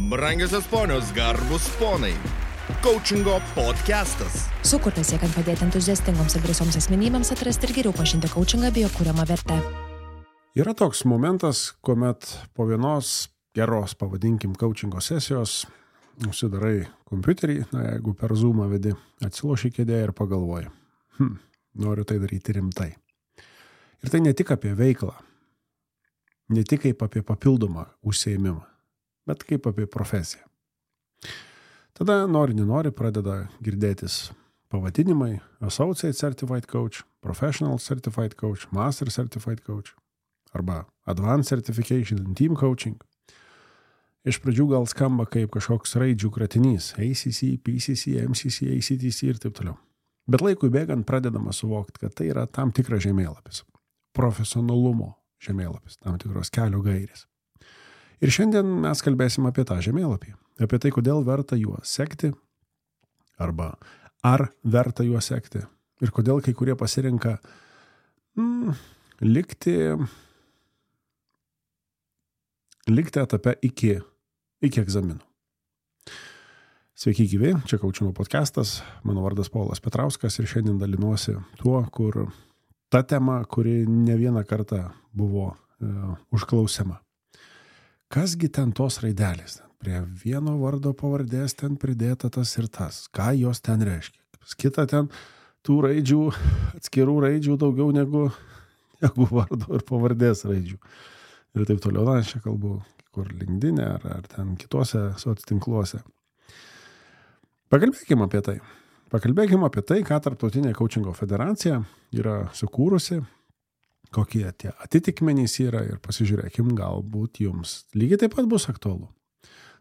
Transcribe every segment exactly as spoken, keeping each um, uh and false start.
Brangiosios ponios, garbus ponai. Coachingo podcastas. Sukurtas siekiant padėti entuziastingoms ir drąsioms asmenybėms atrasti ir geriau pažinti coachingą bei jo kuriamą vertę. Yra toks momentas, kuomet po vienos geros, pavadinkim, coachingo sesijos užsidarai kompiuterį, na, jeigu per Zoomą vedi, atsiloši kėdėje ir pagalvoji, hm, noriu tai daryti rimtai. Ir tai ne tik apie veiklą, ne tik kaip apie papildomą užsiėmimą, bet kaip apie profesiją. Tada nori, nenori pradeda girdėtis pavadinimai Associate Certified Coach, Professional Certified Coach, Master Certified Coach arba Advanced Certification in Team Coaching. Iš pradžių gal skamba kaip kažkoks raidžių kratinys A C C, P C C, M C C, A C T C ir taip toliau. Bet laikui bėgant pradedama suvokti, kad tai yra tam tikras žemėlapis, profesionalumo žemėlapis, tam tikros kelio gairės. Ir šiandien mes kalbėsim apie tą žemėlapį, apie tai, kodėl verta juo sekti, arba ar verta juo sekti, ir kodėl kai kurie pasirenka mm, likti, likti etape iki, iki egzaminų. Sveiki gyvi, čia Coachingo podcastas, mano vardas Paulas Petrauskas ir šiandien dalinuosi tuo, kur ta tema, kuri ne vieną kartą buvo e, užklausiama. Kasgi ten tos raidelės? Prie vieno vardo pavardės ten pridėta tas ir tas. Ką jos ten reiškia? Kita ten tų raidžių, atskirų raidžių daugiau negu, negu vardo ir pavardės raidžių. Ir taip toliau, na, aš čia kalbu, kur LinkedIn ar, ar ten kitose soctinkluose. Pakalbėkime apie tai. Pakalbėkime apie tai, ką Tarptautinė Coachingo federacija yra sukūrusi, kokie tie atitikmenys yra ir pasižiūrėkim, galbūt jums lygiai taip pat bus aktualu.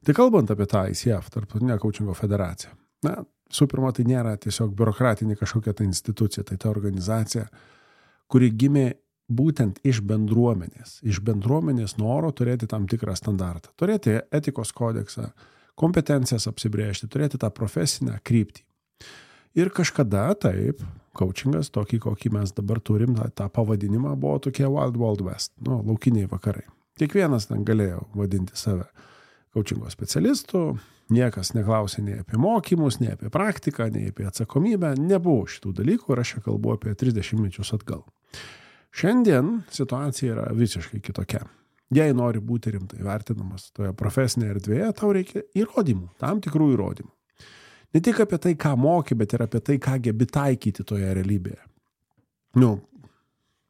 Tai kalbant apie tą I C F, Tarptautinę Coachingo federaciją, na, su pirma, tai nėra tiesiog biurokratinė kažkokia ta institucija, tai ta organizacija, kuri gimė būtent iš bendruomenės, iš bendruomenės noro turėti tam tikrą standartą, turėti etikos kodeksą, kompetencijas apsibrėžti, turėti tą profesinę kryptį. Ir kažkada taip, coachingas, tokį, kokį mes dabar turim, tą, tą pavadinimą buvo tokie Wild Wild West, nu, laukiniai vakarai. Kiekvienas ten galėjo vadinti save coachingo specialistu, niekas neklausė nei apie mokymus, nei apie praktiką, nei apie atsakomybę, nebuvo šitų dalykų ir aš čia kalbu apie trisdešimt mečius atgal. Šiandien situacija yra visiškai kitokia. Jei nori būti rimtai vertinamas toje profesinėje erdvėje, tau reikia įrodymų, tam tikrų įrodymų. Ne tik apie tai, ką moki, bet ir apie tai, ką gebi taikyti toje realybėje. Nu,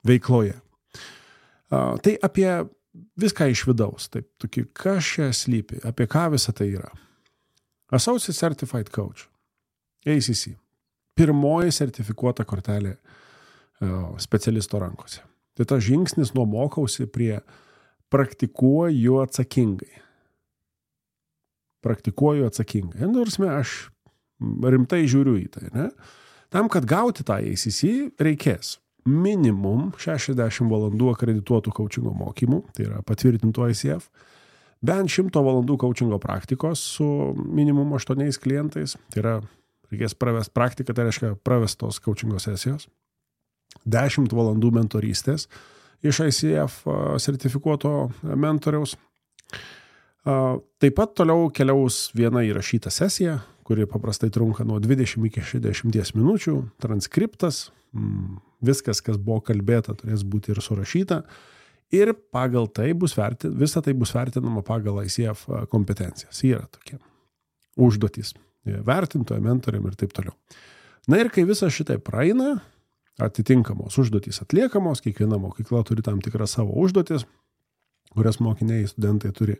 veikloje. A, tai apie viską iš vidaus. Taip, tokį, kas čia slypi, apie ką visa tai yra. Associate Certified Coach, A C C. Pirmoji sertifikuota kortelė a, specialisto rankose. Tai tas žingsnis nuo mokausi prie praktikuoju atsakingai. Praktikuoju atsakingai. Nors aš rimtai žiūriu į tai, ne? Tam, kad gauti tą A C C, reikės minimum šešiasdešimt valandų akredituotų coachingo mokymų, tai yra patvirtintų I C F, bent šimto valandų coachingo praktikos su minimum aštuoniais klientais, tai yra, reikės pravest praktiką, tai reiškia pravestos coachingo sesijos, dešimt valandų mentorystės iš I C F sertifikuoto mentoriaus. Taip pat toliau keliaus viena įrašyta sesija, kuri paprastai trunka nuo dvidešimt iki šešiasdešimt minučių, transkriptas, viskas, kas buvo kalbėta, turės būti ir surašyta, ir pagal tai bus verti, visa tai bus vertinama pagal I C F kompetencijas. Yra tokie užduotys vertintojo, mentoriam ir taip toliau. Na ir kai visa šitai praeina, atitinkamos užduotys atliekamos, kiekviena mokykla turi tam tikrą savo užduotis, kurias mokiniai, studentai turi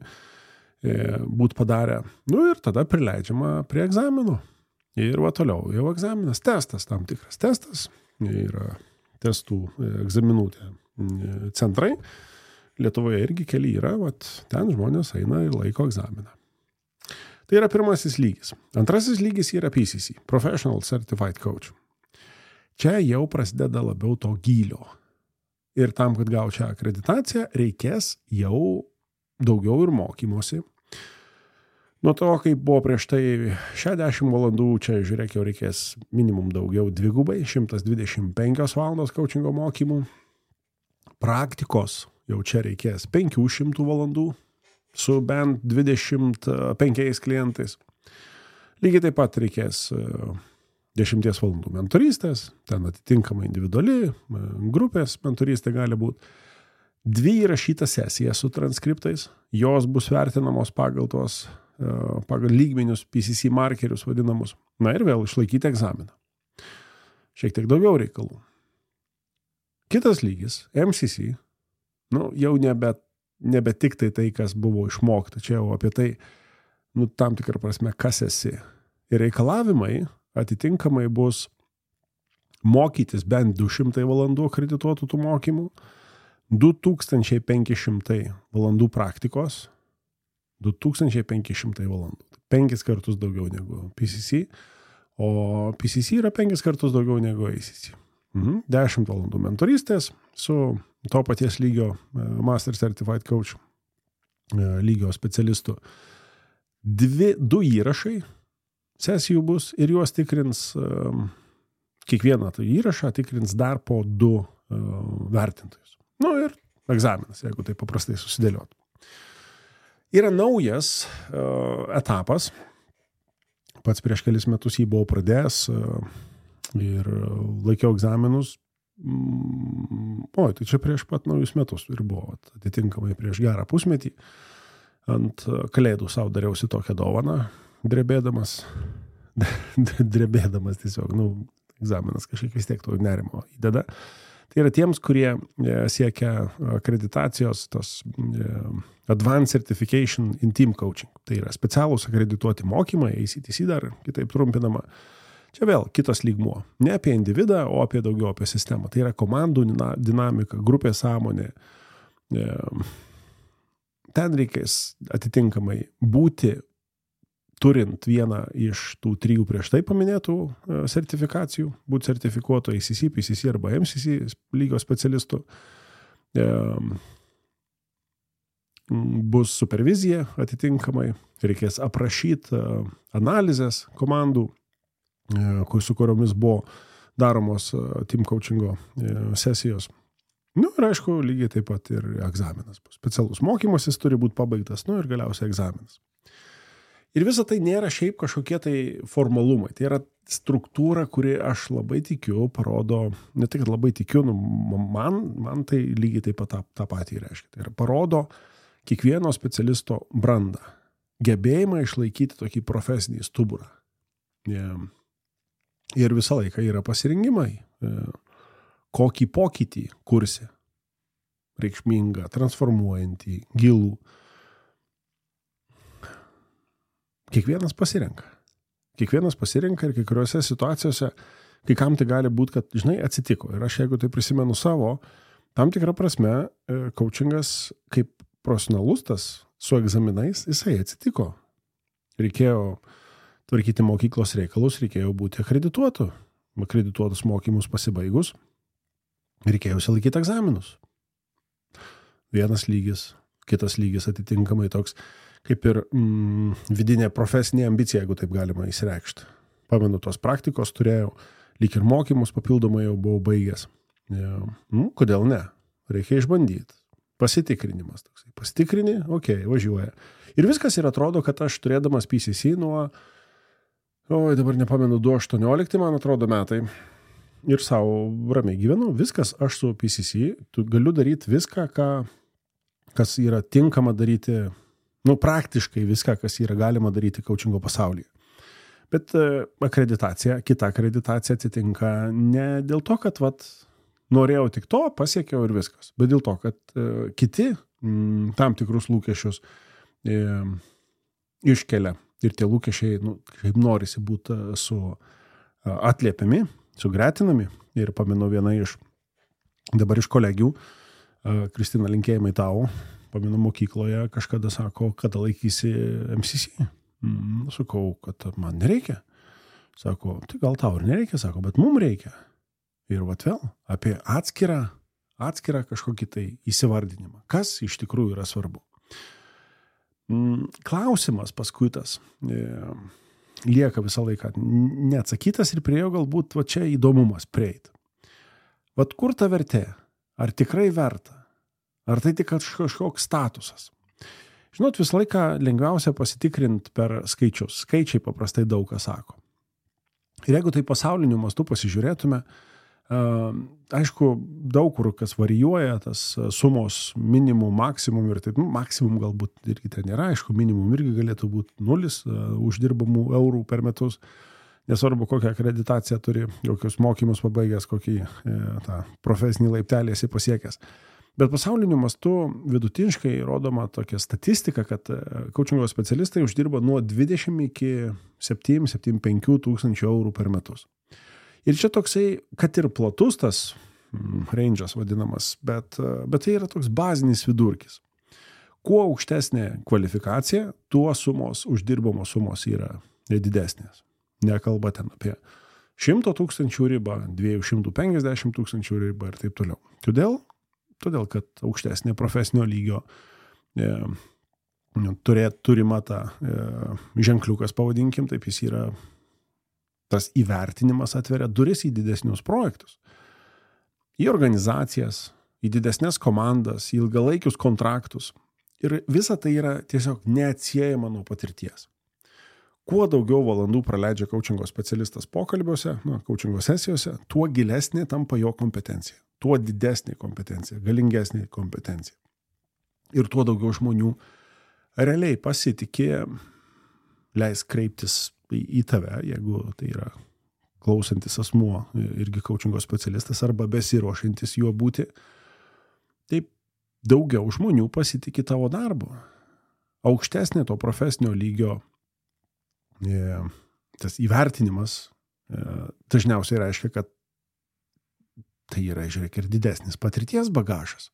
būti padarę. Nu ir tada prileidžiama prie egzaminų. Ir va toliau, jau egzaminas, testas tam tikras. Testas yra testų egzaminų centrai. Lietuvoje irgi keli yra, vat, ten žmonės eina ir laiko egzaminą. Tai yra pirmasis lygis. Antrasis lygis yra P C C, Professional Certified Coach. Čia jau prasideda labiau to gylio. Ir tam, kad gauti šią akreditaciją, reikės jau daugiau ir mokymosi. Nuo to, kaip buvo prieš tai šešiasdešimt valandų, čia žiūrėk, jau reikės minimum daugiau dvigubai, šimtas dvidešimt penkios valandos coachingo mokymų. Praktikos jau čia reikės penkių šimtų valandų, su bent dvidešimt penkiais klientais. Lygiai taip pat reikės dešimties valandų mentorystės, ten atitinkamai individuali, grupės mentorystė gali būti. Dvi įrašytas sesijas su transkriptais, jos bus vertinamos pagal tuos, pagal lygmenius P C C markerius vadinamus. Na ir vėl išlaikyti egzaminą. Šiek tiek daugiau reikalų. Kitas lygis, M C C, nu, jau nebe, nebe tik tai tai, kas buvo išmokta, čia jau apie tai, nu, tam tikrą prasme, kas esi. Ir reikalavimai atitinkamai bus mokytis bent du šimtai valandų akredituotų tų mokymų, du tūkstančiai penki šimtai valandų praktikos, du tūkstančiai penki šimtai valandų. Penkis kartus daugiau negu P C C, o P C C yra penkis kartus daugiau negu A C C. Mhm. dešimt valandų mentorystės su to paties lygio Master Certified Coach lygio specialistu. Dvi, du įrašai sesijų bus ir juos tikrins, kiekvieną tą įrašą tikrins dar po du vertintojus. Nu ir egzaminas, jeigu tai paprastai susidėliot. Yra naujas etapas, pats prieš kelis metus jį buvau pradėjęs ir laikiau egzaminus, oi, tai čia prieš pat naujus metus ir buvo, atitinkamai prieš gerą pusmetį, ant kalėdų savo dariausi tokią dovaną, drebėdamas, drebėdamas tiesiog, nu, egzaminas kažkiek vis tiek to nerimo įdeda. Tai yra tiems, kurie siekia akreditacijos, tos Advanced Certification in Team Coaching. Tai yra specialūs akredituoti mokymai, A C T C dar kitaip trumpinama. Čia vėl kitas lygmuo. Ne apie individą, o apie daugiau apie sistemą. Tai yra komandų dinamika, grupės sąmonė. Ten reikės atitinkamai būti, turint vieną iš tų trijų prieš tai paminėtų sertifikacijų, būti sertifikuoto A C C, P C C arba M C C lygio specialistų. Bus supervizija atitinkamai, reikės aprašyti analizės komandų, su kuriomis buvo daromos team coachingo sesijos. Nu ir aišku, lygiai taip pat ir egzaminas bus. Specialus mokymasis turi būti pabaigtas, nu ir galiausiai egzaminas. Ir visa tai nėra šiaip kažkokie tai formalumai. Tai yra struktūra, kuri aš labai tikiu, parodo, ne tik labai tikiu, nu, man, man tai lygiai taip pat tą, tą patį reiškia. Tai yra parodo kiekvieno specialisto brandą, gebėjimą išlaikyti tokį profesinį stuburą. Ir visą laiką yra pasirinkimai, kokį pokytį kursi, reikšmingą, transformuojantį, gilų. Kiekvienas pasirenka. Kiekvienas pasirenka ir kai kuriuose situacijose, kai kam tai gali būti, kad, žinai, atsitiko. Ir aš, jeigu tai prisimenu savo, tam tikrą prasme, coachingas kaip profesionalus tas su egzaminais, jisai atsitiko. Reikėjo tvarkyti mokyklos reikalus, reikėjo būti akredituotu. Akredituotus mokymus pasibaigus, reikėjo išsilaikyti egzaminus. Vienas lygis, kitas lygis atitinkamai toks, kaip ir mm, vidinė profesinė ambicija, jeigu taip galima įsireikšti. Pamenu, tos praktikos turėjau, lyg ir mokymus papildomai jau buvau baigęs. Ja. Nu, kodėl ne? Reikia išbandyti. Pasitikrinimas toksai. Pasitikrini, okei, okay, važiuoja. Ir viskas ir atrodo, kad aš turėdamas P C C nuo, oi, dabar nepamenu, du aštuoniolikti, man atrodo, metai. Ir savo ramiai gyvenu. Viskas, aš su P C C, tu galiu daryti viską, ką, kas yra tinkama daryti, nu, praktiškai viską, kas yra galima daryti coachingo pasaulyje. Bet akreditacija, kita akreditacija atsitinka ne dėl to, kad vat, norėjau tik to, pasiekiau ir viskas, bet dėl to, kad uh, kiti mm, tam tikrus lūkesčius e, iškelia ir tie lūkesčiai, nu, kaip norisi būti su uh, atliepiami, sugretinami. Ir pamenu vieną iš, dabar iš kolegių, uh, Kristina, linkėjimai tau, pamenu mokykloje, kažkada sako, kada laikysi M C C. Mm, sakau, kad man nereikia. Sako, tai gal tau ir nereikia, sako, bet mum reikia. Ir vat vėl apie atskirą, atskirą kažkokį tai įsivardinimą. Kas iš tikrųjų yra svarbu? Klausimas paskui tas e, lieka visą laiką neatsakytas ir priejo galbūt va čia įdomumas prieiti. Vat kur ta vertė? Ar tikrai verta? Ar tai tik kažkoks statusas? Žinot, visą laiką lengviausia pasitikrinti per skaičius. Skaičiai paprastai daug ką sako. Ir jeigu tai pasauliniu mastu pasižiūrėtume, aišku, daug kur kas varijuoja, tas sumos minimum, maksimum ir taip, nu, maksimum galbūt irgi ten nėra, aišku, minimum irgi galėtų būti nulis uždirbamų eurų per metus, nesvarbu kokią akreditaciją turi, kokius mokymus pabaigęs, kokį e, tą profesinį laiptelį esi pasiekęs. Bet pasauliniu mastu vidutiniškai rodoma tokia statistika, kad coachingo specialistai uždirba nuo dvidešimt iki septynių septyniasdešimt penkių tūkstančių eurų per metus. Ir čia toksai, kad ir platus tas range'as vadinamas, bet, bet tai yra toks bazinis vidurkis. Kuo aukštesnė kvalifikacija, tuo sumos, uždirbamos sumos yra didesnės. Nekalba ten apie šimto tūkstančių ribą, dviejų šimtų penkiasdešimt tūkstančių ribą ir taip toliau. Kodėl? Todėl, kad aukštesnė profesinio lygio e, turėt, turima ta e, ženkliukas, pavadinkim, taip jis yra, tas įvertinimas atveria duris į didesnius projektus, į organizacijas, į didesnės komandas, į ilgalaikius kontraktus. Ir visa tai yra tiesiog neatsiejama nuo patirties. Kuo daugiau valandų praleidžia coachingo specialistas pokalbiuose, nu, coachingo sesijose, tuo gilesnė tampa jo kompetencija, tuo didesnė kompetencija, galingesnė kompetencija. Ir tuo daugiau žmonių realiai pasitikė, leis kreiptis į, į tave, jeigu tai yra klausantis asmuo, irgi coachingo specialistas arba besiruošiantis juo būti. Taip daugiau žmonių pasitikė tavo darbu. Aukštesnė to profesinio lygio tas įvertinimas dažniausiai reiškia, kad tai yra, žiūrėk, ir didesnis patirties bagažas.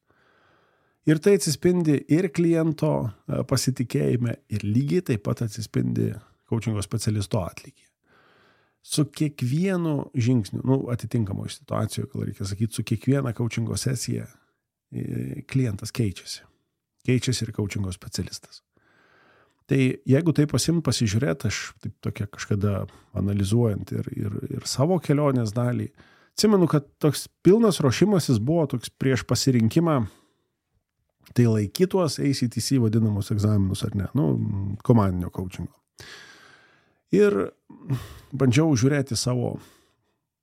Ir tai atsispindi ir kliento pasitikėjime, ir lygiai taip pat atsispindi coachingo specialisto atlygyje. Su kiekvienu žingsniu, nu, atitinkamoje situacijoje, gal reikia sakyti, su kiekviena coachingo sesija klientas keičiasi. Keičiasi ir coachingo specialistas. Tai jeigu tai pasimt pasižiūrėt, aš taip tokia kažkada analizuojant ir, ir, ir savo kelionės dalį, atsimenu, kad toks pilnas ruošimasis buvo toks prieš pasirinkimą, tai laikytuos A C T C vadinamus egzaminus ar ne, nu, komandinio coachingo. Ir bandžiau žiūrėti savo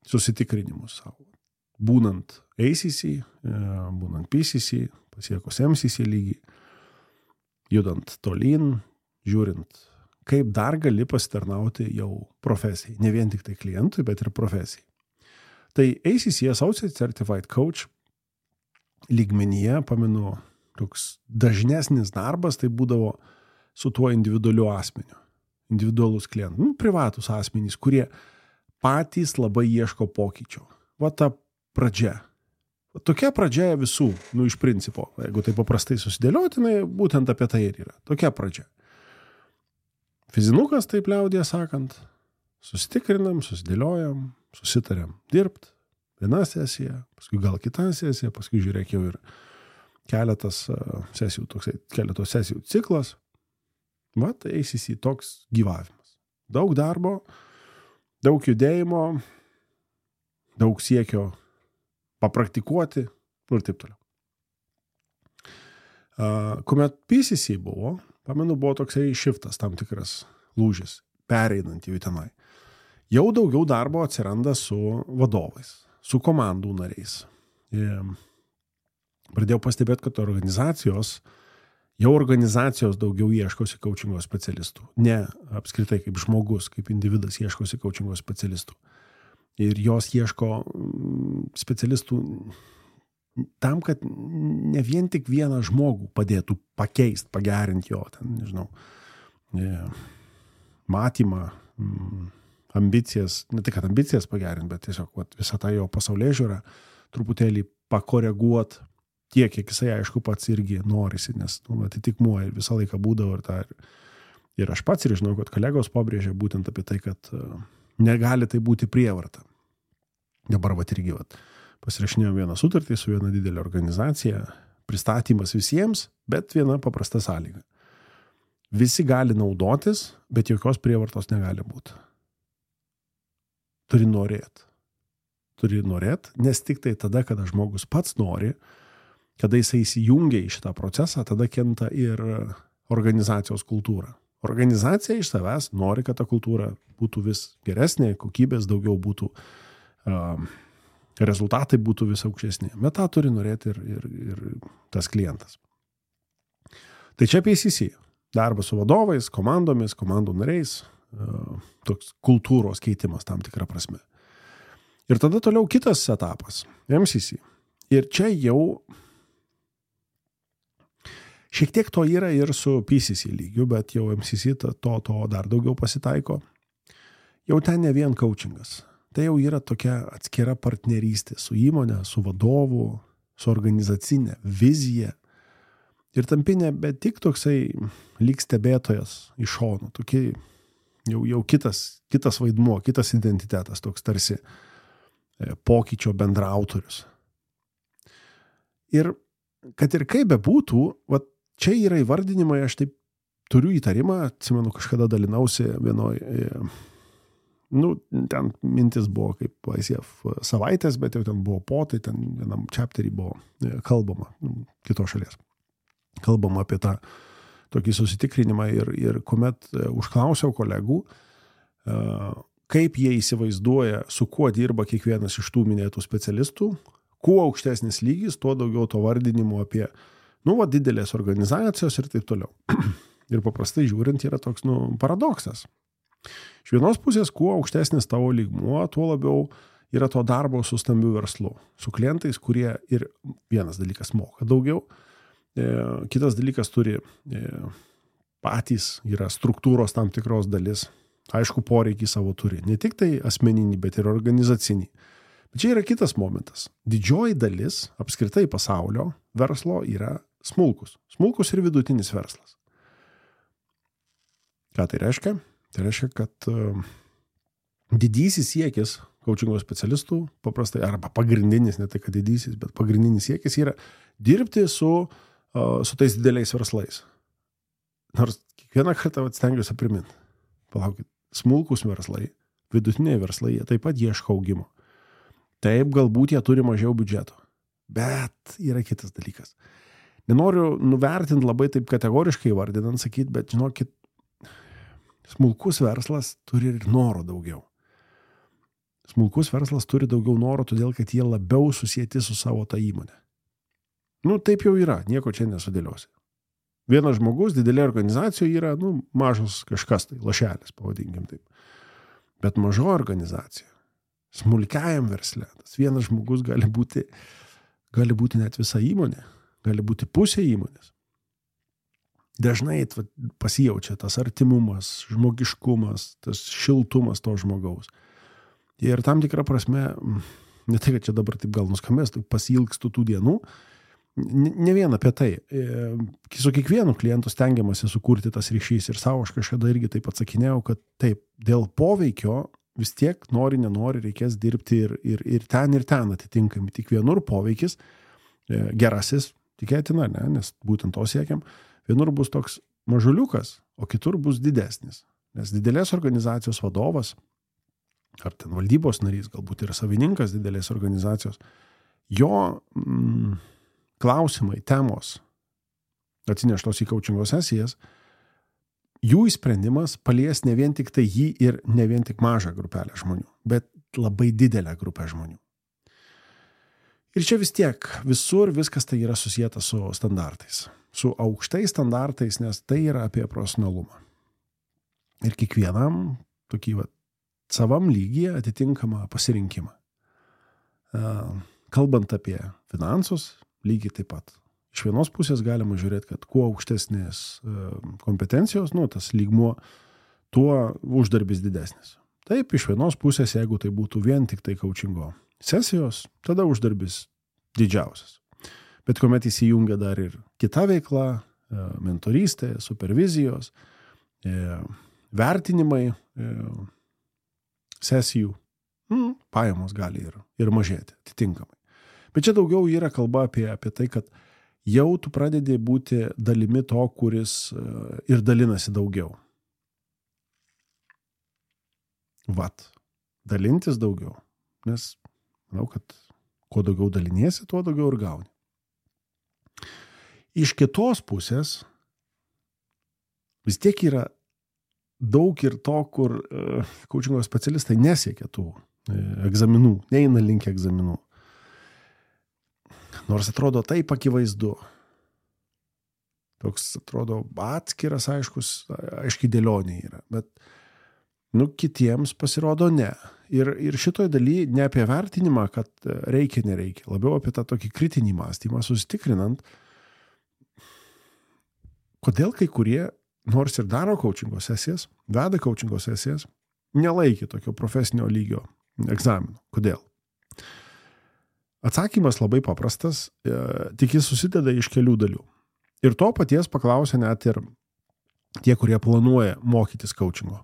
susitikrinimus savo. Būnant A C C, būnant P C C, pasiekus M C C lygį, judant tolyn, žiūrint, kaip dar gali pasitarnauti jau profesijai. Ne vien tik tai klientui, bet ir profesijai. Tai A C C, Associate Certified Coach, lygmenyje, pamenu, toks dažnesnis darbas, tai būdavo su tuo individualiu asmeniu. Individualus klientas, nu, privatus asmenys, kurie patys labai ieško pokyčio. Va ta pradžia. Va tokia pradžia visų, nu, iš principo, jeigu tai paprastai susidėliotinai, būtent apie tai ir yra. Tokia pradžia. Fizinukas, taip liaudėje sakant, susitikrinam, susidėliojam, susitariam dirbt, viena sesija, paskui gal kita sesija, paskui žiūrėk jau ir keletas sesijų, toksai, keletos sesijų ciklas. Va, tai A C C toks gyvavimas. Daug darbo, daug judėjimo, daug siekio papraktikuoti ir taip toliau. Kuomet P C C buvo, pamenu, buvo toksai šiftas, tam tikras lūžis, pereinant į tenai. Jau daugiau darbo atsiranda su vadovais, su komandų nariais. Ir pradėjau pastebėti, kad organizacijos, jau organizacijos daugiau ieškosi coachingo specialistų. Ne apskritai kaip žmogus, kaip individas ieškosi coachingo specialistų. Ir jos ieško specialistų tam, kad ne vien tik vieną žmogų padėtų pakeisti, pagerinti jo, ten, nežinau, matymą, ambicijas, ne tik, kad ambicijas pagerinti, bet tiesiog vat, visą tą jo pasaulėžiūrą truputėlį pakoreguoti tiek, kiek jisai, aišku, pats irgi norisi, nes nu, atitikmuo visą laiką būdavo ir tą. Ir, ir aš pats ir žinau, kad kolegos pabrėžė būtent apie tai, kad uh, negali tai būti prievarta. Dabar vat irgi vat, pasirašinėjom vieną sutartį su viena didelė organizacija, pristatymas visiems, bet viena paprasta sąlyga. Visi gali naudotis, bet jokios prievartos negali būti. Turi norėti. Turi norėti, nes tik tai tada, kada žmogus pats nori, kada jisai įsijungia į šitą procesą, tada kenta ir organizacijos kultūrą. Organizacija iš savęs nori, kad ta kultūra būtų vis geresnė, kokybės daugiau būtų, uh, rezultatai būtų vis aukštesni. Bet tą turi norėti ir, ir, ir tas klientas. Tai čia P C C. Darbas su vadovais, komandomis, komandų nariais, uh, toks kultūros keitimas tam tikrą prasme. Ir tada toliau kitas etapas, M C C. Ir čia jau šiek tiek to yra ir su P C C lygiu, bet jau M C C to, to dar daugiau pasitaiko. Jau ten ne vien coachingas. Tai jau yra tokia atskira partnerystė su įmonė, su vadovu, su organizacinė vizija. Ir tampi nebe tik toksai lyg stebėtojas iš šono, tokie jau, jau kitas, kitas vaidmuo, kitas identitetas, toks tarsi pokyčio bendraautorius. Ir kad ir kaip bebūtų, va, čia yra įvardinimai, aš taip turiu įtarimą, atsimenu, kažkada dalinausi vienoj, nu, ten mintis buvo kaip I C F savaitės, bet jau ten buvo po, tai ten vienam chapterį buvo kalbama, kitos šalies. Kalbama apie tą tokį susitikrinimą ir, ir kuomet užklausiau kolegų, kaip jie įsivaizduoja, su kuo dirba kiekvienas iš tų minėtų specialistų, kuo aukštesnis lygis, tuo daugiau to vardinimo apie, nu, va, didelės organizacijos ir taip toliau. Ir paprastai žiūrint yra toks, nu, paradoksas. Iš vienos pusės, kuo aukštesnis tavo lygmuo, tuo labiau yra to darbo su stambiu verslu, su klientais, kurie ir vienas dalykas moka daugiau, kitas dalykas turi patys, yra struktūros tam tikros dalis, aišku, poreikį savo turi, ne tik tai asmeninį, bet ir organizacinį. Bet čia yra kitas momentas. Didžioji dalis apskritai pasaulio verslo yra smulkus. Smulkus ir vidutinis verslas. Ką tai reiškia? Tai reiškia, kad uh, didysis siekis coachingo specialistų, paprastai, arba pagrindinis, ne tai kad didysis, bet pagrindinis siekis yra dirbti su, uh, su tais dideliais verslais. Nors kiekvieną kartą stengiuosi priminti. Palaukit, smulkus verslai, vidutiniai verslai, jie taip pat ieško augimo. Taip, galbūt jie turi mažiau biudžeto. Bet yra kitas dalykas. Nenoriu nuvertinti labai taip kategoriškai vardinant, sakyti, bet žinokit, smulkus verslas turi ir noro daugiau. Smulkus verslas turi daugiau noro, todėl kad jie labiau susieti su savo tą įmonę. Nu, taip jau yra, nieko čia nesudėliosi. Vienas žmogus didelė organizacijoje yra, nu, mažas kažkas, tai lašelis, pavadinkim taip. Bet mažo organizacija, smulkiajam versle, tas vienas žmogus gali būti, gali būti net visa įmonė, gali būti pusė įmonės. Dažnai pasijaučia tas artimumas, žmogiškumas, tas šiltumas to žmogaus. Ir tam tikrą prasme, ne tai, kad čia dabar taip gal nuskambės, tai pasilgstu tų dienų, ne vien apie tai. Su kiekvienu klientu stengiamasi sukurti tas ryšys ir savo aš kažkada irgi taip atsakinėjau, kad taip, dėl poveikio vis tiek nori, nenori, reikės dirbti ir, ir, ir ten, ir ten atitinkami. Tik vienur poveikis gerasis, tikėtina, ne, nes būtent to siekiam, vienur bus toks mažuliukas, o kitur bus didesnis. Nes didelės organizacijos vadovas, ar ten valdybos narys, galbūt ir savininkas didelės organizacijos, jo mm, klausimai, temos atsineštos į coachingo sesijas, jų įsprendimas palies ne vien tik tai jį ir ne vien tik mažą grupelę žmonių, bet labai didelę grupę žmonių. Ir čia vis tiek visur viskas tai yra susijęta su standartais, su aukštais standartais, nes tai yra apie profesionalumą. Ir kiekvienam tokį va, savam lygyje atitinkamą pasirinkimą. Kalbant apie finansus, lygiai taip pat. Iš vienos pusės galima žiūrėti, kad kuo aukštesnės kompetencijos, nu, tas lygmuo, tuo uždarbis didesnis. Taip, iš vienos pusės, jeigu tai būtų vien tik tai coachingo sesijos, tada uždarbis didžiausias. Bet kuomet įsijungia dar ir kita veikla, mentorystė, supervizijos, vertinimai sesijų, pajamos gali ir, ir mažėti atitinkamai. Bet čia daugiau yra kalba apie, apie tai, kad jau tu pradedi būti dalimi to, kuris ir dalinasi daugiau. Vat, dalintis daugiau. Nes manau, kad kuo daugiau daliniesi, tuo daugiau ir gauni. Iš kitos pusės, vis tiek yra daug ir to, kur coachingo specialistai nesiekia tų egzaminų, neina link egzaminų. Nors atrodo taip akivaizdu. Toks atrodo atskiras, aiškus, aiškiai dėlionė yra. Bet nu, kitiems pasirodo ne. Ir, ir šitoj daly ne apie vertinimą, kad reikia, nereikia. Labiau apie tą tokį kritinį mąstymą, susitikrinant, kodėl kai kurie, nors ir daro coachingo sesijas, veda coachingo sesijas, nelaikė tokio profesinio lygio egzaminų. Kodėl? Atsakymas labai paprastas, tik jis susideda iš kelių dalių. Ir to paties paklausė net ir tie, kurie planuoja mokytis coachingo.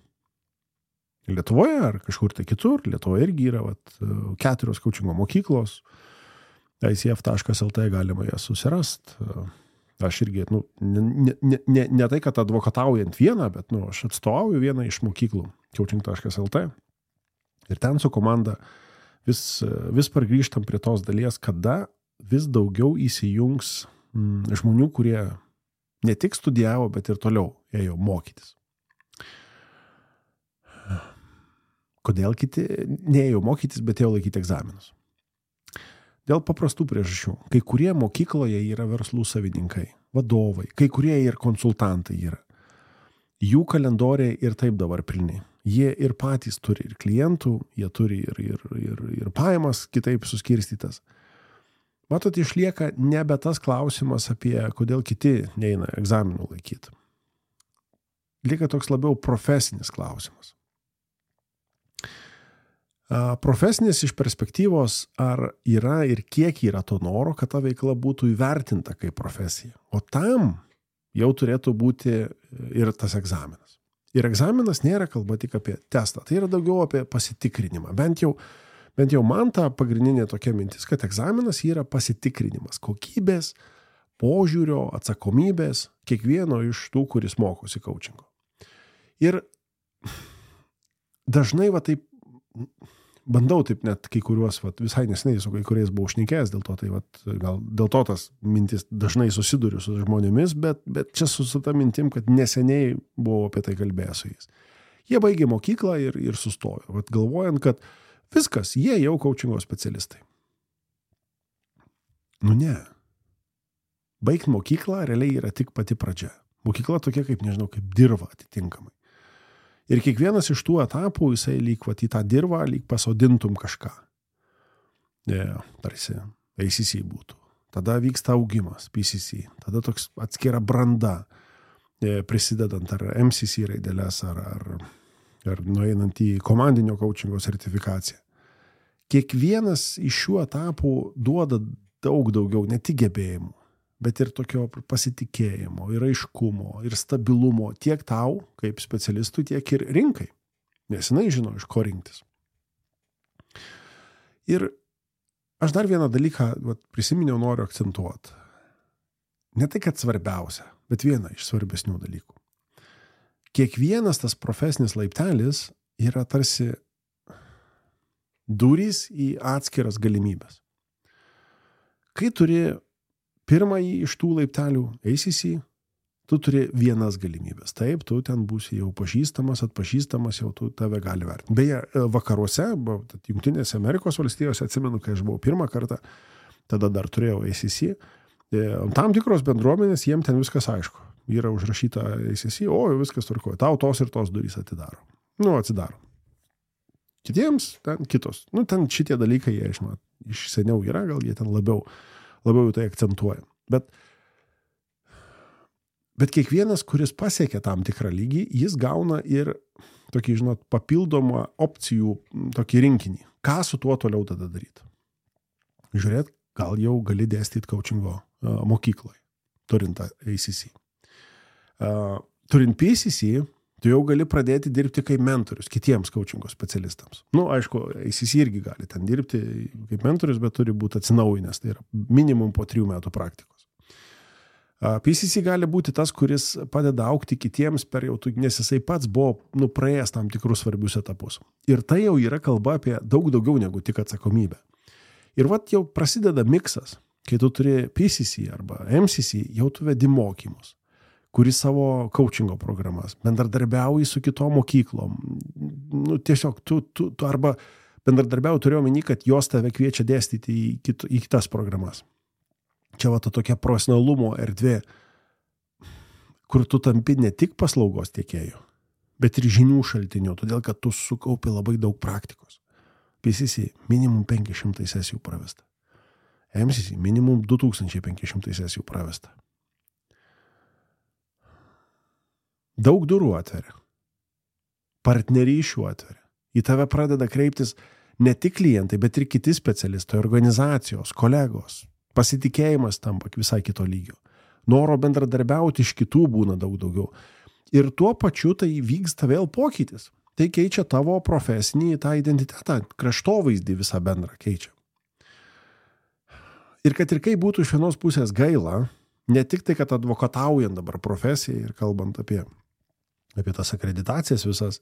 Lietuvoje ar kažkur tai kitur, Lietuvoje irgi yra vat, keturios coachingo mokyklos, i c f taškas l t galima jas susirast. Aš irgi, nu, ne, ne, ne, ne tai, kad advokataujant vieną, bet nu, aš atstovauju vieną iš mokyklų, coaching taškas l t. Ir ten su komanda vis, vis pargrįžtam prie tos dalies, kada vis daugiau įsijungs mm, žmonių, kurie ne tik studijavo, bet ir toliau ėjo mokytis. Kodėl kiti neėjo mokytis, bet ėjo laikyti egzaminus? Dėl paprastų priežasčių. Kai kurie mokykloje yra verslų savininkai, vadovai, kai kurie ir konsultantai yra. Jų kalendoriai ir taip dabar pilni. Jie ir patys turi ir klientų, jie turi ir, ir, ir, ir pajamas kitaip suskirstytas. Matot, išlieka nebe tas klausimas apie, kodėl kiti neina egzaminų laikyti. Lieka toks labiau profesinis klausimas. Profesinis iš perspektyvos, ar yra ir kiek yra to noro, kad ta veikla būtų įvertinta kaip profesija. O tam jau turėtų būti ir tas egzaminas. Ir egzaminas nėra kalba tik apie testą, tai yra daugiau apie pasitikrinimą. Bent jau, bent jau man ta pagrindinė tokia mintis, kad egzaminas yra pasitikrinimas kokybės, požiūrio, atsakomybės kiekvieno iš tų, kuris mokosi coachingo. Ir dažnai va taip bandau taip net kai kuriuos, vat, visai neseniai su kai kuriais buvau šnekėjęs, dėl to, tai vat, gal dėl to tas mintis dažnai susiduriu su žmonėmis, bet, bet čia su, su ta mintim, kad neseniai buvau apie tai kalbėjęs su jais. Jie baigė mokyklą ir, ir sustojo, vat, galvojant, kad viskas, jie jau coachingo specialistai. Nu ne. Baigt mokyklą realiai yra tik pati pradžia. Mokykla tokia kaip, nežinau, kaip dirva atitinkamai. Ir kiekvienas iš tų etapų, jisai lyg vat, į tą dirvą, lyg pasodintum kažką. Yeah, tarsi A C C būtų. Tada vyksta augimas, P C C. Tada toks atskira branda, prisidedant ar M C C raideles, ar, ar, ar nueinant į komandinio coachingo sertifikaciją. Kiekvienas iš šių etapų duoda daug daugiau, ne tik gebėjimų, bet ir tokio pasitikėjimo, ir aiškumo, ir stabilumo tiek tau, kaip specialistui, tiek ir rinkai. Nes jinai žino, iš ko rinktis. Ir aš dar vieną dalyką vat, prisiminiau, noriu akcentuoti. Ne tai, kad svarbiausia, bet viena iš svarbesnių dalykų. Kiekvienas tas profesinis laiptelis yra tarsi durys į atskiras galimybės. Kai turi pirmąjį iš tų laiptelių A C C, tu turi vienas galimybės. Taip, tu ten būsi jau pažįstamas, atpažįstamas, jau tu tave gali vertinti. Beje, vakaruose, Jungtinėse Amerikos valstijose, atsimenu, kai aš buvau pirmą kartą, tada dar turėjau A C C, tam tikros bendruomenės, jiem ten viskas aišku. Yra užrašyta A C C, o viskas tvarkoja, tau tos ir tos durys atidaro. Nu, atsidaro. Kitiems ten kitos. Nu, ten šitie dalykai, jie, žinot, iš seniau yra, gal jie ten labiau labiau tai akcentuoja. Bet, bet kiekvienas, kuris pasiekia tam tikrą lygį, jis gauna ir tokį, žinot, papildomą opcijų tokį rinkinį. Ką su tuo toliau tada daryti? Žiūrėt, gal jau gali dėstyti coachingo uh, mokykloje, turint A C C. Uh, turint P C C, tu jau gali pradėti dirbti kaip mentorius kitiems coachingo specialistams. Nu, aišku, A C C irgi gali ten dirbti kaip mentorius, bet turi būti atsinaujinęs, tai yra minimum po trijų metų praktikos. P C C gali būti tas, kuris padeda augti kitiems per jau, nes jisai pats buvo nu, praėjęs tam tikrus svarbius etapus. Ir tai jau yra kalba apie daug daugiau negu tik atsakomybę. Ir vat jau prasideda miksas, kai tu turi P C C arba M C C, jau tu vedi mokymus, kuri savo coachingo programas, bendradarbiauji su kitom mokyklom. Nu, tiesiog tu, tu, tu arba bendradarbiauji turiu omeny, kad jos tave kviečia dėstyti į, kit, į kitas programas. Čia va ta tokia profesionalumo erdvė, kur tu tampi ne tik paslaugos tiekėjų, bet ir žinių šaltinių, todėl kad tu sukaupi labai daug praktikos. P C C minimum penki šimtai sesijų pravesta. M C C minimum du tūkstančiai penki šimtai sesijų pravesta. Daug durų atveria. Partnerysčių atveria. Į tave pradeda kreiptis ne tik klientai, bet ir kiti specialistai, organizacijos, kolegos. Pasitikėjimas tampa visai kito lygio. Noro bendradarbiauti iš kitų būna daug daugiau. Ir tuo pačiu tai vyksta vėl pokytis. Tai keičia tavo profesinį tą identitetą, kraštovaizdį visą bendrą keičia. Ir kad ir kaip būtų iš vienos pusės gaila, ne tik tai, kad advokataujant dabar profesijai ir kalbant apie, apie tas akreditacijas visas,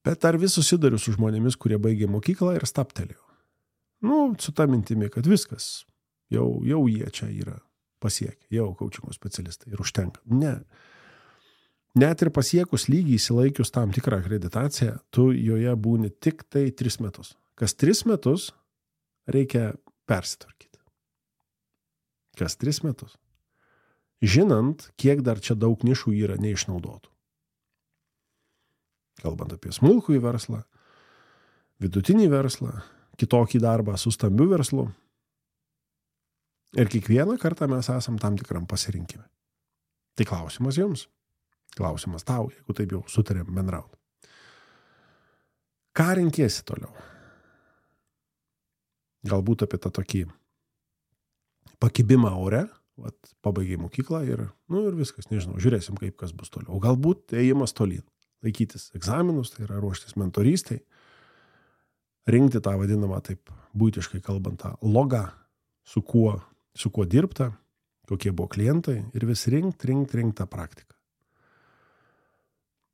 bet ar vis susidariu su žmonėmis, kurie baigė mokyklą ir staptelėjo. Nu, su ta mintimi, kad viskas, jau, jau jie čia yra pasiekę, jau coachingo specialistai ir užtenka. Ne. Net ir pasiekus lygį įsilaikius tam tikrą akreditaciją, tu joje būni tik tai tris metus. Kas tris metus reikia persitvarkyti. Kas tris metus. Žinant, kiek dar čia daug nišų yra neišnaudotų. Kalbant apie smulkųjį verslą, vidutinį verslą, kitokį darbą su stambiu verslu. Ir kiekvieną kartą mes esam tam tikram pasirinkime. Tai klausimas jums. Klausimas tau, jeigu taip jau sutarėm bendrauti. Ką renkiesi toliau? Galbūt apie tą tokį pakibimą ore, vat, pabaigai mokyklą ir, nu, ir viskas, nežinau, žiūrėsim, kaip kas bus toliau. Galbūt ėjimas tolyn, laikytis egzaminus, tai yra ruoštis mentorystai, rinkti tą vadinamą, taip būtiškai kalbant, tą logą, su kuo, su kuo dirbta, kokie buvo klientai ir vis rinkt, rinkt, rinkt tą praktiką.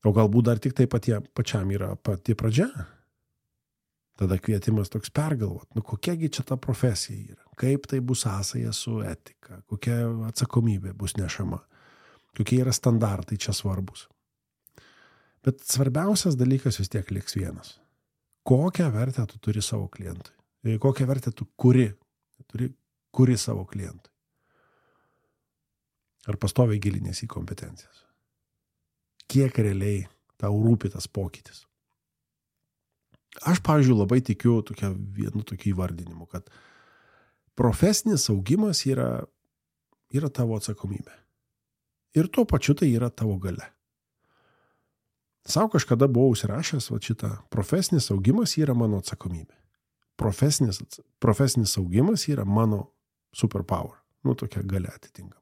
O galbūt dar tik tai patie, pačiam yra pati pradžia. Tada kvietimas toks pergalvot, nu kokiagi čia ta profesija yra, kaip tai bus sąsaja su etika, kokia atsakomybė bus nešama, kokie yra standartai čia svarbus. Bet svarbiausias dalykas vis tiek liks vienas. Kokią vertę tu turi savo klientui? Kokią vertę tu kuri, turi, kuri savo klientui? Ar pastoviai gilinės į kompetencijas? Kiek realiai tau rūpi tas pokytis. Aš, pavyzdžiui, labai tikiu tokia, vienu tokiu įvardinimu, kad profesinis augimas yra, yra tavo atsakomybė. Ir tuo pačiu tai yra tavo galia. Sau kažkada buvau užsirašęs va šitą, profesinis augimas yra mano atsakomybė. Profesinis, profesinis augimas yra mano superpower. Nu, tokia galia atitinkama.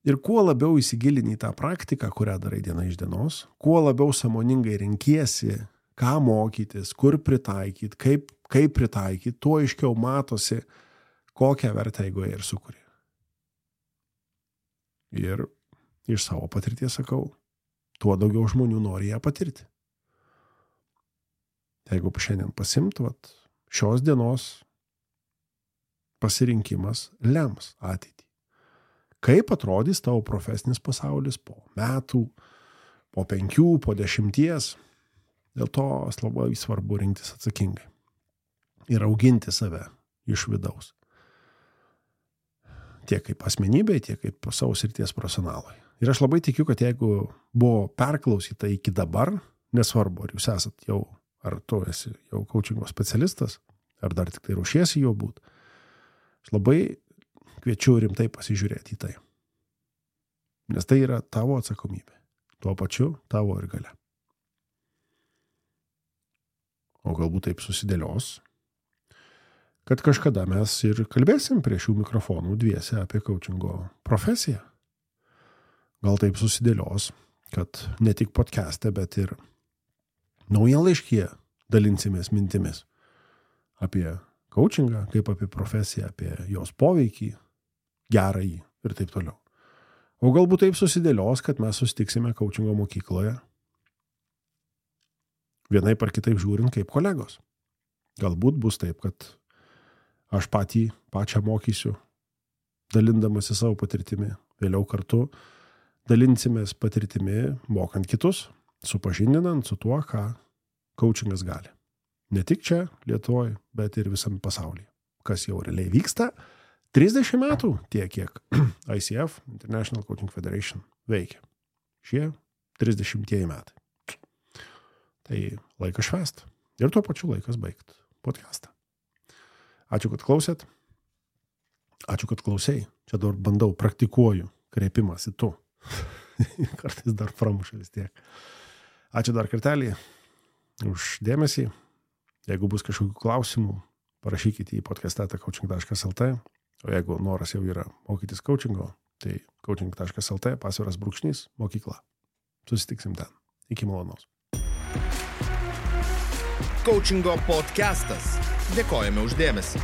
Ir kuo labiau įsigilini į tą praktiką, kurią darai diena iš dienos, kuo labiau sąmoningai renkiesi, ką mokytis, kur pritaikyti, kaip, kaip pritaikyti, tuo aiškiau matosi, kokią vertę eigoje ir sukuri. Ir iš savo patirties sakau, tuo daugiau žmonių nori ją patirti. Jeigu šiandien pasimt, vat, šios dienos pasirinkimas lems ateitį. Kaip atrodys tavo profesinis pasaulis po metų, po penkių, po dešimties. Dėl to labai svarbu rinktis atsakingai ir auginti save iš vidaus. Tiek kaip asmenybė, tiek kaip savo srities profesionalai. Ir aš labai tikiu, kad jeigu buvo perklausyta iki dabar, nesvarbu, ar jūs esat jau, ar tu esi jau coachingo specialistas, ar dar tik tai ruošiesi jo būt, aš labai kviečiu rimtai pasižiūrėti į tai. Nes tai yra tavo atsakomybė. Tuo pačiu tavo ir galia. O galbūt taip susidėlios, kad kažkada mes ir kalbėsim prie šių mikrofonų dviese apie coachingo profesiją. Gal taip susidėlios, kad ne tik podcast'e, bet ir naujienlaiškyje dalinsimės mintimis apie coachingą, kaip apie profesiją, apie jos poveikį, gerąjį ir taip toliau. O galbūt taip susidėlios, kad mes susitiksime coachingo mokykloje, vienaip ar kitaip žiūrint kaip kolegos. Galbūt bus taip, kad aš patį, pačią mokysiu, dalindamasi savo patirtimi, Vėliau kartu dalinsimės patirtimi, mokant kitus, supažindinant su tuo, ką coachingas gali. Ne tik čia, Lietuvoje, bet ir visame pasaulyje. Kas jau realiai vyksta, trisdešimt metų tiek, kiek I C F, International Coaching Federation, veikia. Šie trisdešimtieji metai. Tai laikas švęst. Ir tuo pačiu laikas baigt podcastą. Ačiū, kad klausėt. Ačiū, kad klausėjai. Čia dabar bandau, praktikuoju kreipimas į tu. Kartais dar pramuša vis tiek. Ačiū dar kartelį už dėmesį. Jeigu bus kažkokių klausimų, parašykite į podcast eta coaching taškas el te. O jeigu noras jau yra mokytis coachingo, tai coaching taškas el te, pasviras brūkšnys, mokykla. Susitiksim ten. Iki malonaus. Coachingo podcastas. Dėkojame už dėmesį.